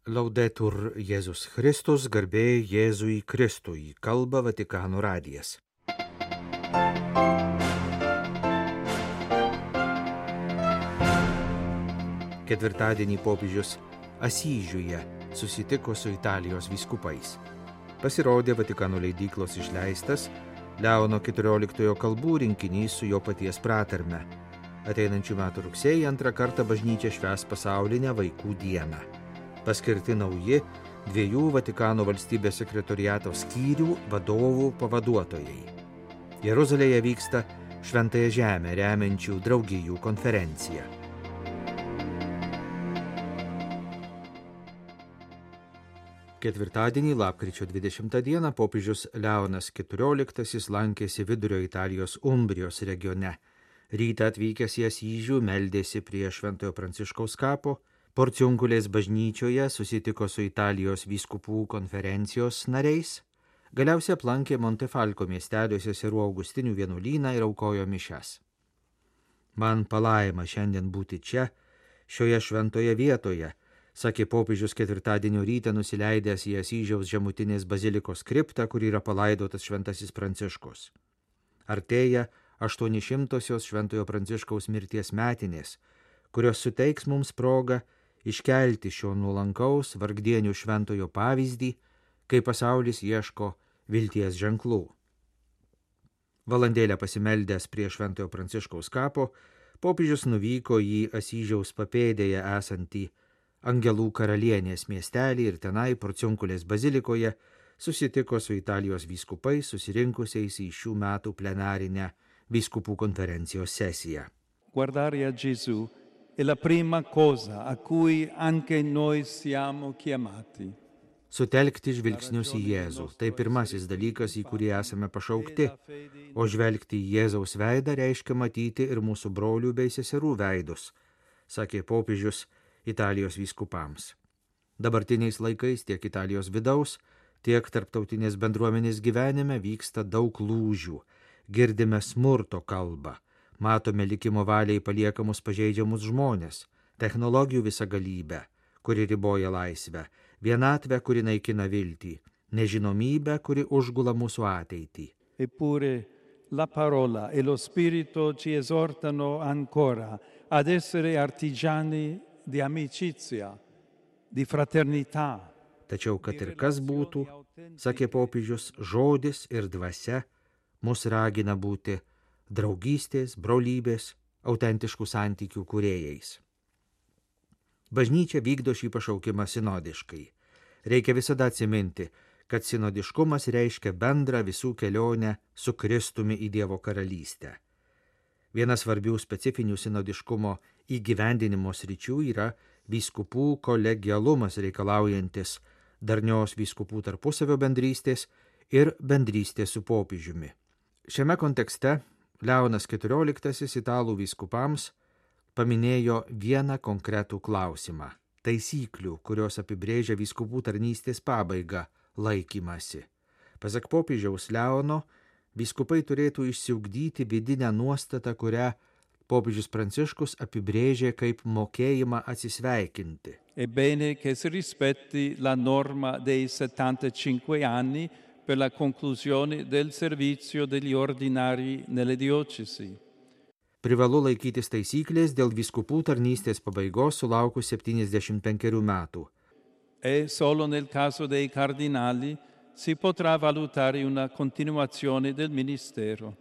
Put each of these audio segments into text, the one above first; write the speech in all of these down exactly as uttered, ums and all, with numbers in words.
Laudetur Jėzus Kristus, garbė Jėzui Kristui, kalba Vatikano radijas. Ketvirtadienį popiežius Asyžiuje susitiko su Italijos vyskupais. Pasirodė Vatikano leidyklos išleistas Leono keturioliktojo kalbų rinkinys su jo paties pratarme. Ateinančių metų rugsėjį antrą kartą bažnyčia švęs pasaulinę vaikų dieną. Paskirti nauji dviejų Vatikano valstybės sekretoriato skyrių vadovų pavaduotojai. Jeruzalėje vyksta Šventąją Žemę remiančių draugijų konferencija. Ketvirtadienį, lapkričio dvidešimtą dieną, popiežius Leonas keturioliktasis lankėsi Vidurio Italijos Umbrijos regione. Rytą atvykęs į Asyžių meldėsi prie Šventojo Pranciškaus kapo, Porciunkulės bažnyčioje susitiko su Italijos vyskupų konferencijos nariais, galiausiai aplankė Montefalco miestelio seserų Augustinių vienuolyną ir aukojo mišias. Man palaima šiandien būti čia, šioje šventoje vietoje, sakė popiežius ketvirtadienio rytą nusileidęs į Asyžiaus žemutinės bazilikos kriptą, kur yra palaidotas šventasis Pranciškus. Artėja aštuonišimtosios Šventojo Pranciškaus mirties metinės, kurios suteiks mums progą iškelti šio nuolankaus vargdienių šventojo pavyzdį, kai pasaulis ieško vilties ženklų. Valandėlę pasimeldęs prie Šventojo Pranciškaus kapo, popiežius nuvyko į Asyžiaus papėdėje esantį Angelų karalienės miestelį ir tenai Porciunkulės bazilikoje susitiko su Italijos vyskupais susirinkusiais į šių metų plenarinę vyskupų konferencijos sesiją. Guardare a Gesù è la prima cosa a cui anche noi siamo chiamati. Sutelkti žvilgsnius į Jėzų – tai pirmasis dalykas, į kurį esame pašaukti, o žvelgti į Jėzaus veidą reiškia matyti ir mūsų brolių bei seserų veidus, sakė popiežius Italijos vyskupams. Dabartiniais laikais tiek Italijos vidaus, tiek tarptautinės bendruomenės gyvenime vyksta daug lūžių, girdime smurto kalbą. Matome likimo valiai paliekamus pažeidžiamus žmonės, technologijų visagalybę, kuri riboja laisvę, vienatvę, kuri naikina viltį, nežinomybę, kuri užgula mūsų ateitį. Eppure la parola e lo spirito ci esortano ancora ad essere artigiani di amicizia, di fraternità. Tačiau, kad ir kas būtų, sakė popiežius, žodis ir dvasia mus ragina būti draugystės, brolybės, autentiškų santykių kūrėjais. Bažnyčia vykdo šį pašaukimą sinodiškai. Reikia visada atsiminti, kad sinodiškumas reiškia bendrą visų kelionę su Kristumi į Dievo karalystę. Vienas svarbių specifinių sinodiškumo įgyvendinimo sričių yra vyskupų kolegialumas reikalaujantis darnios vyskupų tarpusavio bendrystės ir bendrystės su popiežiumi. Šiame kontekste Leonas keturioliktasis italų vyskupams paminėjo vieną konkretų klausimą – taisyklių, kurios apibrėžia vyskupų tarnystės pabaigą – laikymasi. Pasak popiežiaus Leono, vyskupai turėtų išsiugdyti vidinę nuostatą, kurią popiežius Pranciškus apibrėžė kaip mokėjimą atsisveikinti. Ebbene che si rispetti la norma dei settantacinque anni per la conclusione del servizio degli ordinari nelle diocesi. Privalu laikytis taisyklės dėl vyskupų tarnystės pabaigos sulaukus septyniasdešimt penkerių metų. E solo nel caso dei cardinali si potrà valutare una continuazione del ministero,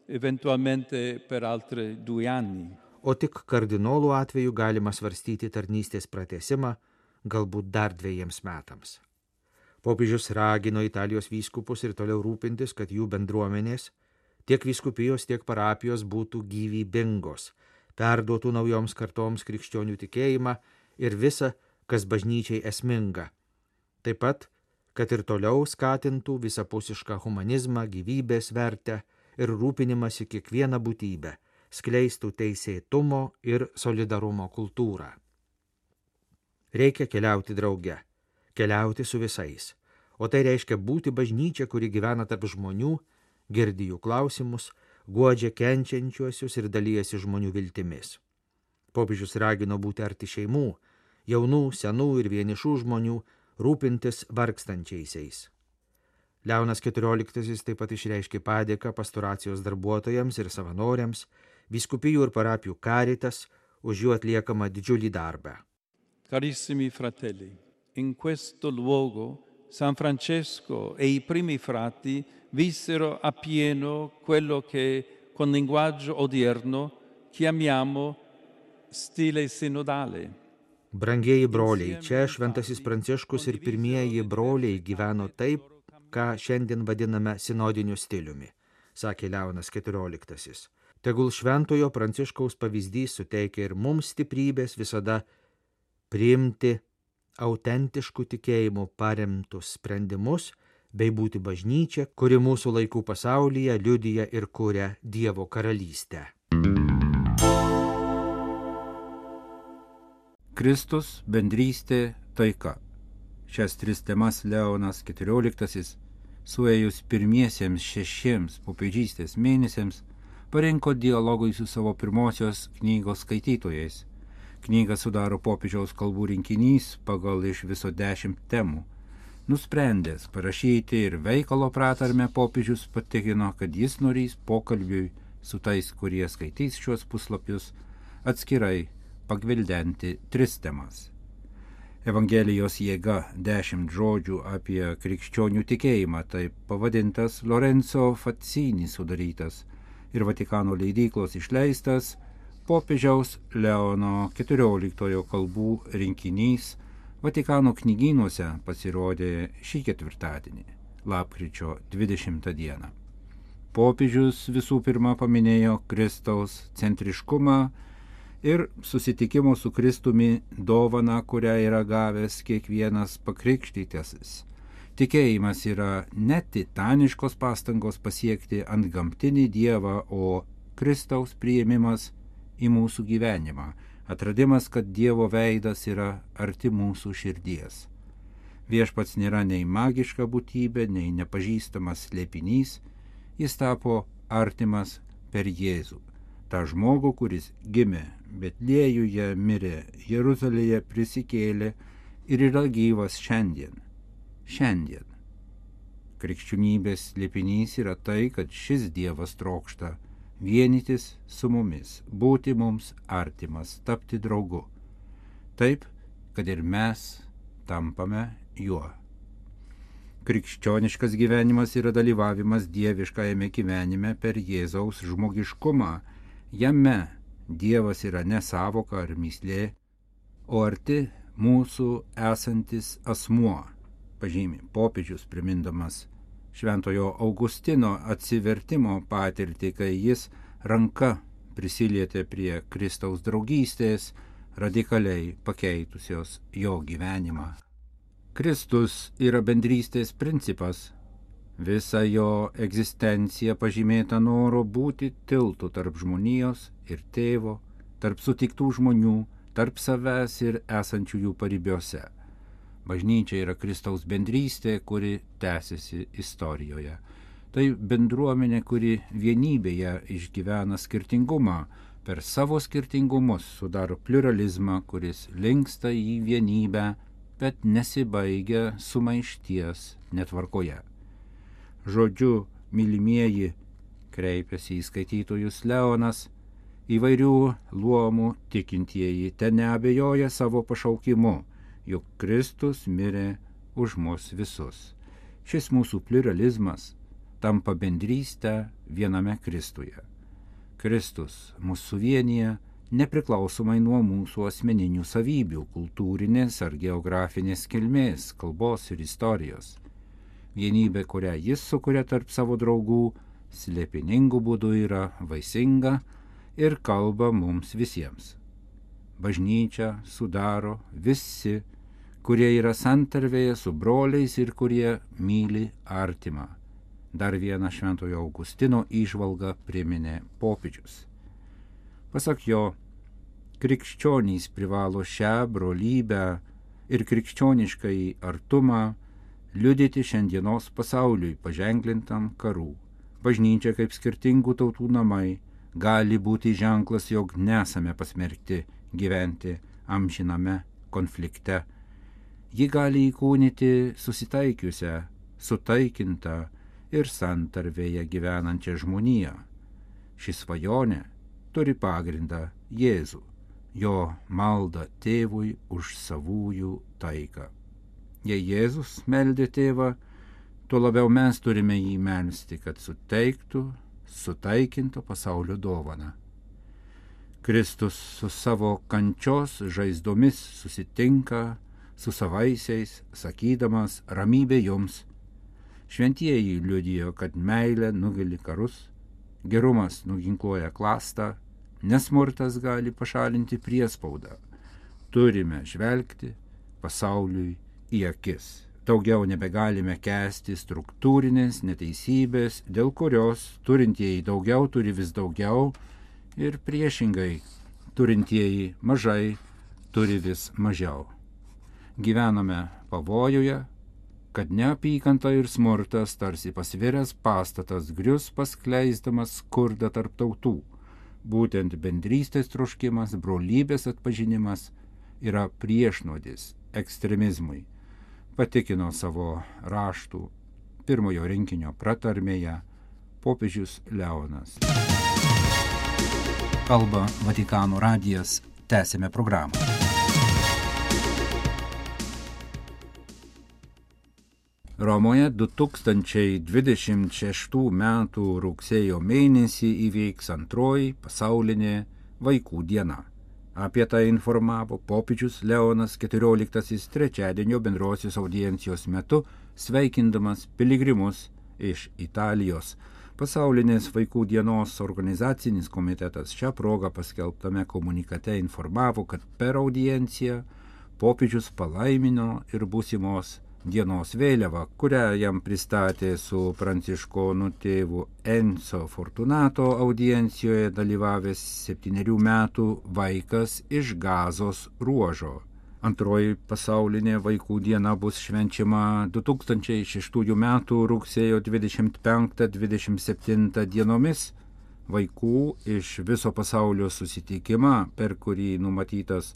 eventualmente per altri due anni. O tik kardinolų atveju galima svarstyti tarnystės pratęsimą, galbūt dar dviejiems metams. Popiežius ragino Italijos vyskupus ir toliau rūpintis, kad jų bendruomenės, tiek vyskupijos, tiek parapijos būtų gyvybingos, perduotų naujoms kartoms krikščionių tikėjimą ir visa, kas bažnyčiai esminga. Taip pat, kad ir toliau skatintų visapusišką humanizmą, gyvybės vertę ir rūpinimąsi kiekvieną būtybę, skleistų teisėtumo ir solidarumo kultūrą. Reikia keliauti drauge. Keliauti su visais, o tai reiškia būti bažnyčia, kuri gyvena tarp žmonių, girdi jų klausimus, guodžia kenčiančiuosius ir dalijasi žmonių viltimis. Popiežius ragino būti arti šeimų, jaunų, senų ir vienišų žmonių, rūpintis vargstančiaisiais. Leonas keturioliktasis taip pat išreiškė padėką pastoracijos darbuotojams ir savanoriams, vyskupijų ir parapijų caritas už jų atliekamą didžiulį darbą. Carissimi fratelli, in questo luogo San Francesco e i primi frati vissero appieno quello che con linguaggio odierno chiamiamo stile sinodale. Brangieji broliai, čia šventasis Pranciškus ir pirmieji broliai gyveno taip, ką šiandien vadiname sinodiniu stiliumi, sakė Leonas keturioliktasis. Tegul šventojo Pranciškaus pavyzdys suteikia ir mums stiprybės visada priimti autentiškų tikėjimų paremtus sprendimus bei būti bažnyčia, kuri mūsų laikų pasaulyje liudija ir kuria Dievo karalystę. Kristus, bendrystė, taika. Šias tris temas Leonas keturioliktasis, suėjus pirmiesiems šešiems popiežystės mėnesiams, parinko dialogui su savo pirmosios knygos skaitytojais. Knygą sudaro popiežiaus kalbų rinkinys pagal iš viso dešimt temų. Nusprendęs parašyti ir veikalo pratarmę, popiežius patikino, kad jis norės pokalbiui su tais, kurie skaitys šios puslapius, atskirai pagvildenti tris temas. Evangelijos jėga dešimt žodžių apie krikščionių tikėjimą, taip pavadintas Lorenzo Fazzini sudarytas ir Vatikano leidyklos išleistas popiežiaus Leono keturioliktojo kalbų rinkinys Vatikano knygynuose pasirodė šį ketvirtadienį, lapkričio dvidešimtą dieną. Popiežius visų pirma paminėjo Kristaus centriškumą ir susitikimo su Kristumi dovaną, kurią yra gavęs kiekvienas pakrikštytasis. Tikėjimas yra ne titaniškos pastangos pasiekti antgamtinį Dievą, o Kristaus priėmimas į mūsų gyvenimą, atradimas, kad Dievo veidas yra arti mūsų širdies. Viešpats nėra nei magiška būtybė, nei nepažįstamas slėpinys, jis tapo artimas per Jėzų. Ta žmogų, kuris gimė Betliejuje, mirė Jeruzalėje, prisikėlė ir yra gyvas šiandien. Šiandien. Krikščionybės slėpinys yra tai, kad šis Dievas trokšta vienytis su mumis, būti mums artimas, tapti draugu. Taip, kad ir mes tampame juo. Krikščioniškas gyvenimas yra dalyvavimas dieviškajame gyvenime per Jėzaus žmogiškumą. Jame Dievas yra ne savoka ar mįslė, o arti mūsų esantis asmuo, pažymi popiežius primindamas šventojo Augustino atsivertimo patirtį, kai jis ranka prisilietė prie Kristaus draugystės, radikaliai pakeitusios jo gyvenimą. Kristus yra bendrystės principas. Visa jo egzistencija pažymėta noro būti tiltu tarp žmonijos ir tėvo, tarp sutiktų žmonių, tarp savęs ir esančiųjų paribiuose. Bažnyčia yra Kristaus bendrystė, kuri tęsiasi istorijoje. Tai bendruomenė, kuri vienybėje išgyvena skirtingumą, per savo skirtingumus sudaro pluralizmą, kuris linksta į vienybę, bet nesibaigia sumaišties netvarkoje. Žodžiu, mylimieji, kreipiasi į skaitytojus Leonas, įvairių luomų tikintieji ten neabejoja savo pašaukimu, juk Kristus mirė už mus visus. Šis mūsų pluralizmas tampa bendrystę viename Kristuje. Kristus mus suvienyje nepriklausomai nuo mūsų asmeninių savybių, kultūrinės ar geografinės kilmės, kalbos ir istorijos. Vienybė, kurią jis sukuria tarp savo draugų, slėpiningų būdų yra vaisinga ir kalba mums visiems. Bažnyčią sudaro visi, kurie yra santarvėje su broliais ir kurie myli artimą. Dar vieną šventojo Augustino įžvalgą priminė popiežius. Pasak jo, krikščionys privalo šią brolybę ir krikščioniškąjį artumą liudyti šiandienos pasauliui paženklintam karų. Bažnyčia kaip skirtingų tautų namai gali būti ženklas, jog nesame pasmerkti gyventi amžiname konflikte. Ji gali įkūnyti susitaikiusią, sutaikintą ir santarvėje gyvenančią žmoniją. Ši svajonė turi pagrindą Jėzų, jo maldą tėvui už savųjų taiką. Jei Jėzus meldė tėvą, tuo labiau mes turime jį melsti, kad suteiktų sutaikinto pasaulio dovaną. Kristus su savo kančios žaizdomis susitinka su savaisiais, sakydamas ramybė jums. Šventieji liudijo, kad meilė nugali karus, gerumas nuginkluoja klastą, nesmurtas gali pašalinti priespaudą. Turime žvelgti pasauliui į akis. Daugiau nebegalime kęsti struktūrinės neteisybės, dėl kurios turintieji daugiau turi vis daugiau ir priešingai turintieji mažai turi vis mažiau. Gyvename pavojuje, kad neapykanta ir smurtas tarsi pasviręs pastatas grius paskleisdamas skurdą tarp tautų. Būtent bendrystės troškimas, brolybės atpažinimas yra priešnuodis ekstremizmui, patikino savo raštų pirmojo rinkinio pratarmėje popiežius Leonas. Kalba Vatikano radijas, tęsime programą. Romoje du tūkstančiai dvidešimt šeštų metų rugsėjo mėnesį įvyks antroji pasaulinė vaikų diena. Apie tai informavo popiežius Leonas keturioliktasis trečiadienio bendrosios audiencijos metu, sveikindamas piligrimus iš Italijos. Pasaulinės vaikų dienos organizacinis komitetas šią progą paskelbtame komunikate informavo, kad per audienciją popiežius palaimino ir būsimos dienos vėliavą, kurią jam pristatė su pranciškonų tėvu Enzo Fortunato audiencijoje dalyvavęs septynerių metų vaikas iš Gazos ruožo. Antroji pasaulinė vaikų diena bus švenčiama du tūkstančiai šeštųjų metų rugsėjo dvidešimt penktą dvidešimt septintą dienomis. Vaikų iš viso pasaulio susitikimą, per kurį numatytas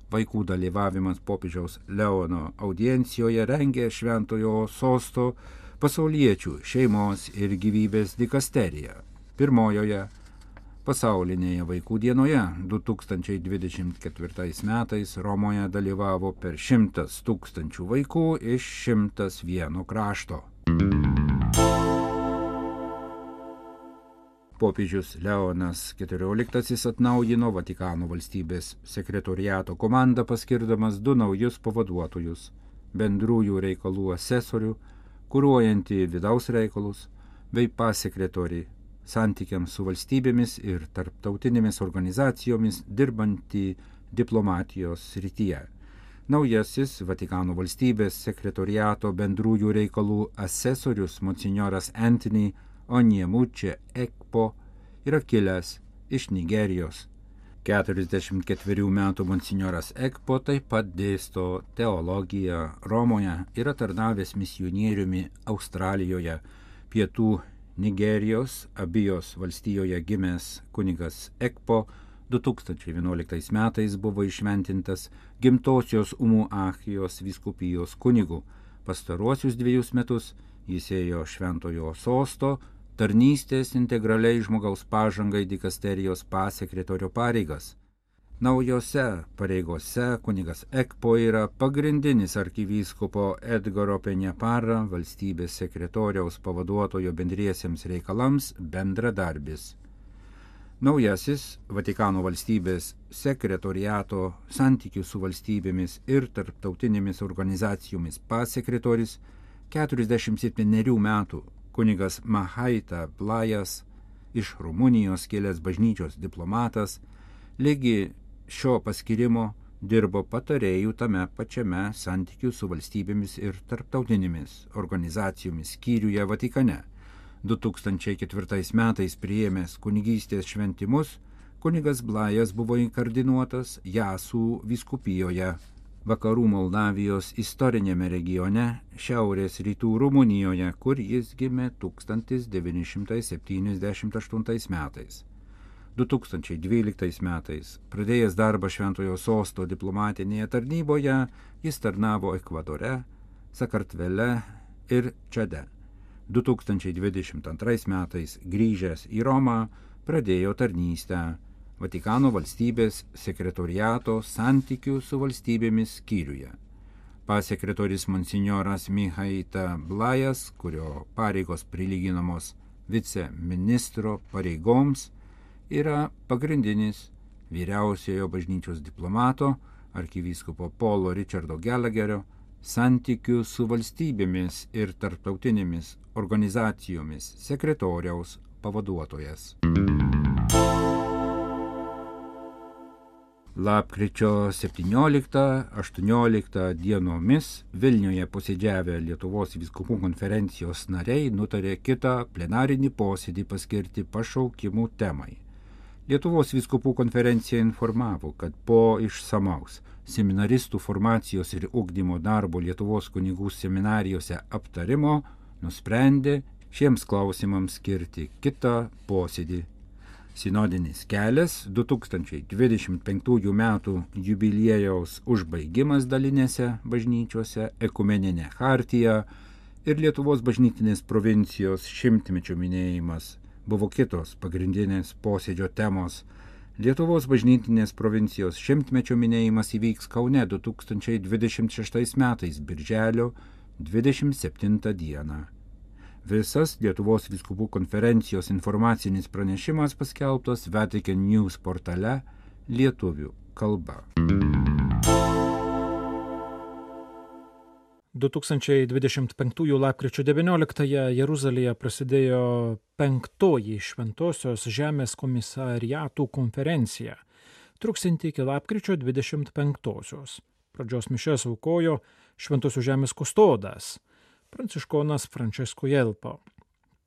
vaikų dalyvavimas popiežiaus Leono audiencijoje, rengė Šventojo Sosto pasauliečių šeimos ir gyvybės dikasterija. Pirmojoje pasaulinėje vaikų dienoje du tūkstančiai dvidešimt ketvirtais metais Romoje dalyvavo per šimtas tūkstančių vaikų iš šimtas vieno krašto. Popiežius Leonas keturioliktasis atnaujino Vatikano valstybės sekretoriato komandą, paskirdamas du naujus pavaduotojus – bendrųjų reikalų asesorių, kuruojantį vidaus reikalus, bei pasekretorį santykiams su valstybėmis ir tarptautinėmis organizacijomis dirbantį diplomatijos srityje. Naujasis Vatikano valstybės sekretoriato bendrųjų reikalų asesorius monsinjoras Anthony Onyemuche Ekpo yra kilęs iš Nigerijos. keturiasdešimt ketverių metų monsinjoras Ekpo taip pat dėsto teologiją Romoje, yra tarnavęs misionieriumi Australijoje, pietų Nigerijos Abijos valstijoje gimęs kunigas Ekpo du tūkstančiai vienuoliktais metais buvo išventintas Gimtosios Umuahijos vyskupijos kunigu. Pastaruosius dviejus metus jis ėjo Šventojo Sosto tarnystės integraliai žmogaus pažangai dikasterijos pasekretorio pareigas. Naujose pareigose kunigas Ekpo yra pagrindinis arkivyskupo Edgaro Penjapara, valstybės sekretoriaus pavaduotojo bendriesiems reikalams, bendradarbis. Naujasis Vatikano valstybės sekretoriato santykių su valstybėmis ir tarptautinėmis organizacijomis pasekretoris, keturiasdešimt septynerių metų kunigas Mahaita Blajas, iš Rumunijos kilęs bažnyčios diplomatas, lygi šio paskirimo dirbo patarėjų tame pačiame santykių su valstybėmis ir tarptautinėmis organizacijomis skyriuje Vatikane. du tūkstančiai ketvirtais metais priėmęs kunigystės šventimus, kunigas Blajas buvo inkardinuotas Jasų vyskupijoje, vakarų Moldavijos istorinėme regione, šiaurės rytų Rumunijoje, kur jis gimė tūkstantis devyni šimtai septyniasdešimt aštuntais metais. du tūkstančiai dvyliktais metais, pradėjęs darbą Šventojo Sosto diplomatinėje tarnyboje, jis tarnavo Ekvadore, Sakartvele ir Čade. du tūkstančiai dvidešimt antrais metais grįžęs į Romą pradėjo tarnystę Vatikano valstybės sekretoriato santykių su valstybėmis skyriuje. Pasekretorius monsinjoras Mihaita Blajas, kurio pareigos prilyginamos viceministro pareigoms, yra pagrindinis vyriausiojo bažnyčios diplomato arkivyskupo Paulo Richardo Gallagherio santykių su valstybėmis ir tarptautinėmis organizacijomis sekretoriaus pavaduotojas. Lapkričio septynioliktą aštuonioliktą dienomis Vilniuje posėdžiavę Lietuvos vyskupų konferencijos nariai nutarė kitą plenarinį posėdį paskirti pašaukimų temai. Lietuvos vyskupų konferencija informavo, kad po išsamaus seminaristų formacijos ir ugdymo darbo Lietuvos kunigų seminarijose aptarimo nusprendė šiems klausimams skirti kitą posėdį. Sinodinis kelias du tūkstančiai dvidešimt penktųjų metų jubiliejaus užbaigimas dalinėse bažnyčiose, ekumeninė chartija ir Lietuvos bažnytinės provincijos šimtmečio minėjimas buvo kitos pagrindinės posėdžio temos. Lietuvos bažnytinės provincijos šimtmečio minėjimas įvyks Kaune du tūkstančiai dvidešimt šeštais metais birželio dvidešimt septintą dieną. Visas Lietuvos vyskupų konferencijos informacinis pranešimas paskelbtas Vatican News portale lietuvių kalba. du tūkstančiai dvidešimt penktųjų lapkričio devynioliktąją Jeruzalėje prasidėjo penktoji Šventosios žemės komisariatų konferencija, truksianti iki lapkričio dvidešimt penktosios. Pradžios mišias aukojo Šventosios žemės kustodas, pranciškonas Francesco Jelpo.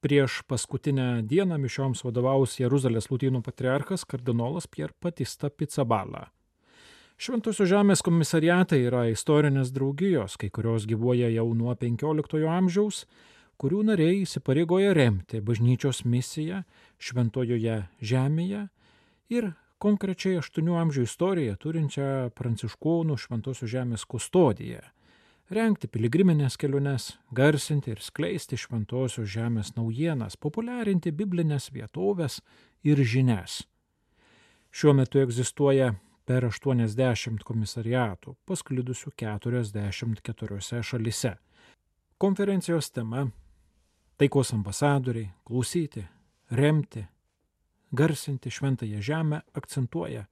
Prieš paskutinę dieną mišioms vadovaus Jeruzalės lotynų patriarchas kardinolas Pier Batista Pizzaballa. Šventosios žemės komisariatai yra istorinės draugijos, kai kurios gyvuoja jau nuo penkioliktojo amžiaus, kurių nariai įsipareigoja remti bažnyčios misiją Šventojoje žemėje ir konkrečiai aštuonių amžių istoriją turinčią pranciškonų Šventosios žemės kustodiją, rengti piligriminės keliones, garsinti ir skleisti Šventosios žemės naujienas, populiarinti biblinės vietovės ir žinias. Šiuo metu egzistuoja per aštuoniasdešimt komisariatų, pasklidusių keturiasdešimt keturiose šalise. Konferencijos tema – taikos ambasadoriai, klausyti, remti, garsinti Šventąją žemę akcentuoja,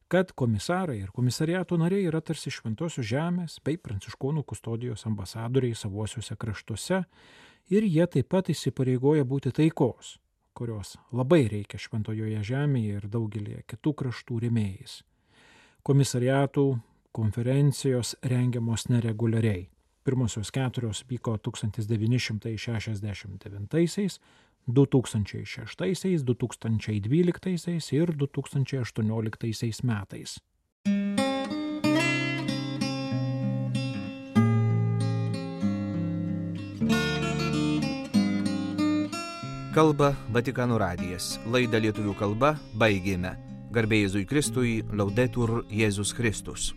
kad komisarai ir komisariato nariai yra tarsi Šventosios žemės bei pranciškonų kustodijos ambasadoriai savuosiuose kraštuose ir jie taip pat įsipareigoja būti taikos, kurios labai reikia Šventojoje žemėje ir daugelį kitų kraštų rėmėjais. Komisariatų konferencijos rengiamos nereguliariai. Pirmosios keturios vyko tūkstantis devyni šimtai šešiasdešimt devintaisiais, du tūkstančiai šeštaisiais, du tūkstančiai dvyliktaisiais ir du tūkstančiai aštuonioliktaisiais metais. Kalba Vatikano radijas. Laidą lietuvių kalba baigėme. Garbė Jėzui Kristui, Laudetur Jėzus Kristus.